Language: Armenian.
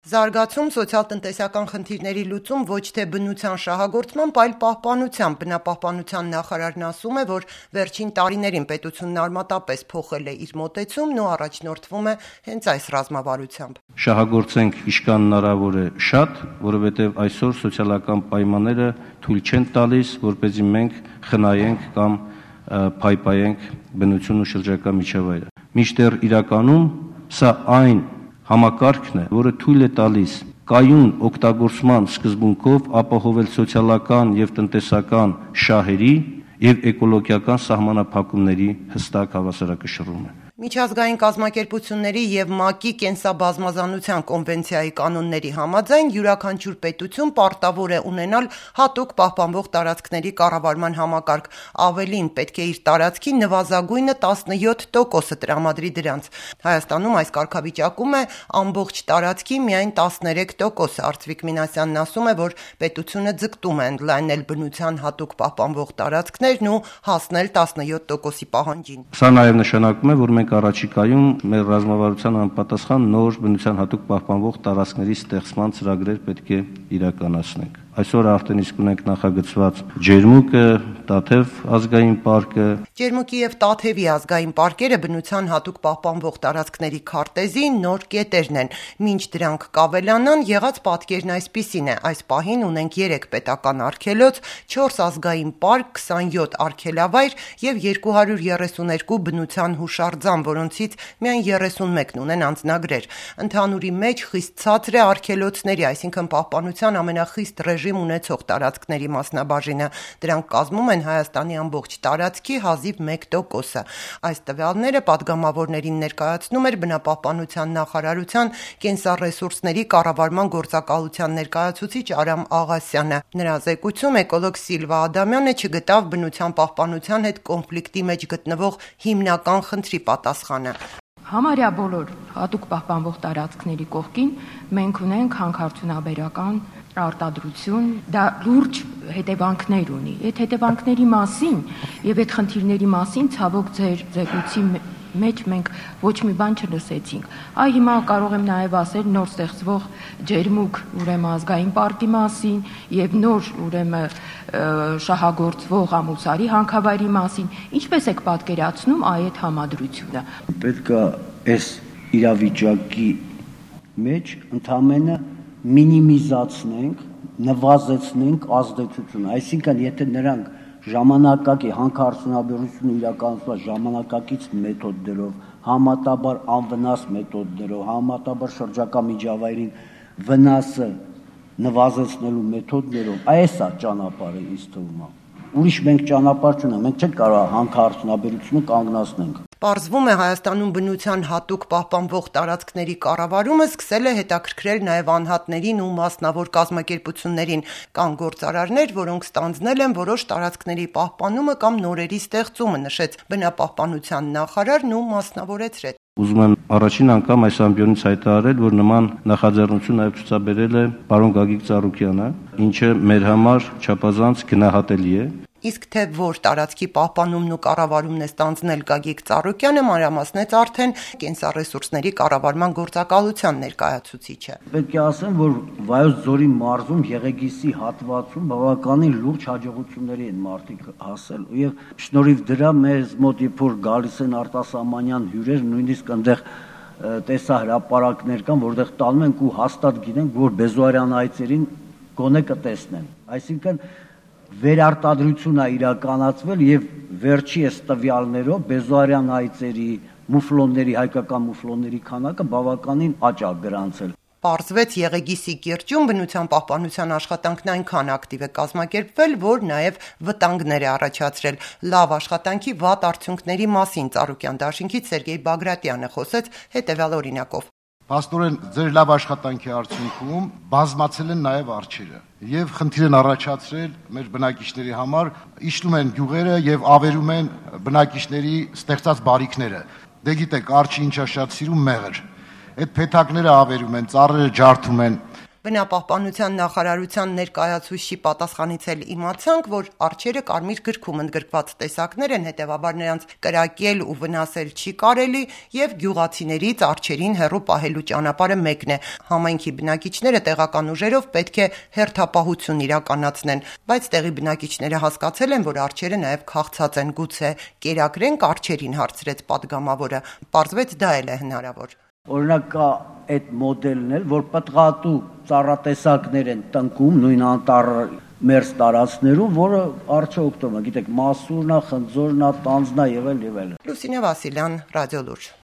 Զարգացում, սոցիալ-տնտեսական խնդիրների լուծում ոչ թե բնության շահագործմամբ, այլ պահպանությամբ։ Բնապահպանության նախարարն ասում է, որ վերջին տարիներին պետությունն արմատապես փոխել է իր մոտեցումն ու առաջնորդվում է հենց այս ռազմավարությամբ։ Շահագործենք ինչքան հնարավոր է շատ, որովհետև այսօր սոցիալական պայմանները թույլ չեն տալիս, որպեսզի մենք խնայենք կամ փայփայենք բնությունն ու շրջակա միջավայրը։ Մինչդեռ իրականում սա այն համակարգն է, որը թույլ է տալիս կայուն օգտագործման սկզբունքով ապահովել սոցիալական եւ տնտեսական շահերի եւ էկոլոգիական սահմանափակումների հստակ հավասարակշռումը։ Միջազգային կազմակերպությունների եւ ՄԱԿ-ի կենսաբազմազանության կոնվենցիայի կանոնների համաձայն յուրաքանչյուր պետություն պարտավոր է ունենալ հատուկ պահպանվող տարածքների կառավարման համակարգ, ավելին պետք է իր տարածքի նվազագույնը 17% տրամադրի դրանց։ Հայաստանում այս կարգավիճակում է ամբողջ տարածքի միայն 13%։ Արծվիկ Մինասյանն ասում է, որ պետությունը ձգտում է ընդլայնել բնության հատուկ պահպանվող տարածքներն ու հասնել 17%-ի պահանջին։ Սա նաեւ նշանակում է, որ մենք առաջիկայում մեր ռազմավարության համապատասխան նոր բնության հատուկ պահպանվող տարածքների ստեղծման ծրագրեր պետք է իրականացնենք։ Այսօր արդեն իսկ ունենք նախագծված Ջերմուկը, Տաթև ազգային պարկը։ Ջերմուկի եւ Տաթևի ազգային պարկերը բնության հատուկ պահպանվող տարածքների քարտեզի նոր կետերն են։ Մինչ դրանք կավելանան, եղած պատկերն այսպիսին է. այս պահին ունենք 3 պետական արգելոց, 4 ազգային պարկ, 27 արգելավայր եւ 232 բնության հուշարձան, որոնցից միայն 31-ն ունեն անձնագրեր։ Ընդհանուրի մեջ խիստ ցածր է արգելոցների, այսինքն պահպանության ամենախիստ ռեժիմ ունեցող տարածքների մասնաբաժինը։ Դրանք կազմում են Հայաստանի ամբողջ տարածքի հազիվ 1%-ը։ Այս տվյալները պատգամավորներին ներկայացնում էր բնապահպանության նախարարության կենսառեսուրսների կառավարման գործակալության ներկայացուցիչ Արամ Աղասյանը։ Նրա զեկույցում էկոլոգ Սիլվա Ադամյանը չգտավ բնության պահպանության հետ կոնֆլիկտի մեջ գտնվող հիմնական խնդրի պատասխանը։ Համարյա բոլոր հատուկ պահպանվող տարածքների կողքին մենք ունենք հանքարդյունաբերական արտադրություն, դա լուրջ հետևանքներ ունի։ Այդ հետևանքների մասին եւ այդ խնդիրների մասին ցավոք ձեր զեկույցի մեջ մենք ոչ մի բան չլսեցինք։ Այ հիմա կարող եմ նաև ասել նոր ստեղծվող Ջերմուկ ուրեմն ազգային պարկի մասին եւ նոր ուրեմն շահագործվող Ամուսարի հանքավայրի մասին։ Ինչպես եք պատկերացնում այդ համադրությունը։ Պետք է այս իրավիճակի մեջ ընդամենը մինիմիզացնենք, նվազեցնենք ազդեցությունը, այսինքն եթե նրանք ժամանակակի հանքարդյունաբերությունը իրականացված ժամանակակից մեթոդներով, համատաբար անվնաս մեթոդներով, համատաբար շրջակա միջավայրին վնասը նվազեցնելու մեթոդներով, այս է ճանապարհը ինձ թվում է։ Ուրիշ մենք ճանապարհ չունենք, մենք չենք կարող հանքարդյունաբերությունը կանգնացնենք։ Պարզվում է Հայաստանում բնության հատուկ պահպանվող տարածքների կառավարումը սկսել է հետաքրքրել նաև անհատներին ու մասնավոր կազմակերպություններին։ Կան գործարարներ, որոնք ստանձնել են որոշ տարածքների պահպանումը կամ նորերի ստեղծումը, նշեց բնապահպանության նախարարն ու մասնավորեցրեց։ Ուզում եմ առաջին անգամ այս ամբիոնից հայտարարել, որ նման նախաձեռնություն նաև ցուցաբերել է պարոն Գագիկ Ծառուկյանը, ինչը մեր համար չափազանց գնահատելի է։ Իսկ թե որ տարածքի պահպանումն ու կառավարումն է ստանձնել Գագիկ Ծառուկյանը, մանրամասնեց արդեն կենսառեսուրսների կառավարման գործակալության ներկայացուցիչը։ Պետք է ասեմ, որ Վայոց ձորի մարզում Եղեգիսի հատվածում բավականին լուրջ հաջողությունների են մարդիկ հասել եւ շնորհիվ դրա մեզ մոտ երբ որ գալիս են արտասահմանյան հյուրեր, նույնիսկ այնտեղ տեսահրապարակներ կան, որտեղ տանում ենք ու հաստատ գիտենք, որ Բեզոարյան այծերին գոնե կտեսնեն։ Այսինքն վերարտադրություն է իրականացվել եւ վերջի այս տվյալներով Բեզոարյան այծերի, մուֆլոնների, հայկական մուֆլոնների քանակը բավականին աճ է գրանցել։ Պարզվեց Եղեգիսի կիրճում բնության պահպանության աշխատանքն այնքան ակտիվ է կազմակերպվել, որ նաև վտանգներ է առաջացրել։ Լավ աշխատանքի վատ արդյունքների մասին Ծառուկյան դաշինքից Սերգեյ Բագրատյանը խոսեց հետևյալ օրինակով։ Փաստորեն ձեր լավ աշխատանքի արդյունքում բազմացել են նաև արջերը եւ խնդիր են առաջացրել մեր բնակիչների համար, իջնում են գյուղերը եւ ավերում են բնակիչների ստեղծած բարիքները։ Դե գիտեք, արջը ինչա շատ սիրում մեղր։ Այդ փեթակները ավերում են, ծառերը ջարդում են։ Բնապահպանության նախարարության ներկայացուցչի պատասխանից էլ իմացանք, որ արջերը կարմիր գրքում ընդգրկված տեսակներ են, հետևաբար նրանց կրակել ու վնասել չի կարելի, եւ գյուղացիներից արջերին հեռու պահելու ճանապարհը մեկն է։ Համայնքի բնակիչները տեղական ուժերով պետք է հերթապահություն իրականացնեն, բայց տեղի բնակիչները հասկացել են, որ արջերը նաեւ քաղցած են, գուցե կերակրենք արջերին, հարցրեց падգամավորը։ Պարզվեց դա էլ է հնարավոր։ Օրինակ կա այդ մոդելն էլ, որ պտղատու ծառատեսակներ են տնկում նույն անտառ մերձ տարածքներում, որը արջը օգտվում է, գիտեք, մասուրնա, խնձորնա, տանձնա եւ այլ։ Լուսինե Վասիլյան, Ռադիոլուրջ։